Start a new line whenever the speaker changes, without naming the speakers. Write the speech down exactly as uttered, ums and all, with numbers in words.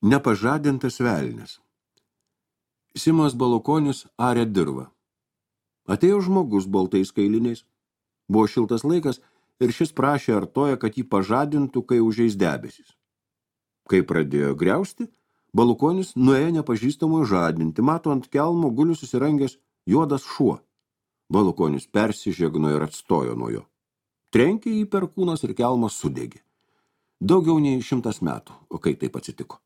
Nepažadintas velnias. Simas Balukonis arė dirvą. Atėjo žmogus baltais kailiniais. Buvo šiltas laikas ir šis prašė artoją, kad jį pažadintų, kai užeis debesis. Kai pradėjo griausti, Balukonis nuėjo nepažįstamojo žadinti, mato ant kelmo guli susirangęs juodas šuo. Balukonis persižegno ir atstojo nuo jo. Trenkė jį per kūnas ir kelmas sudegė. Daugiau nei šimtas metų, o kai taip atsitiko.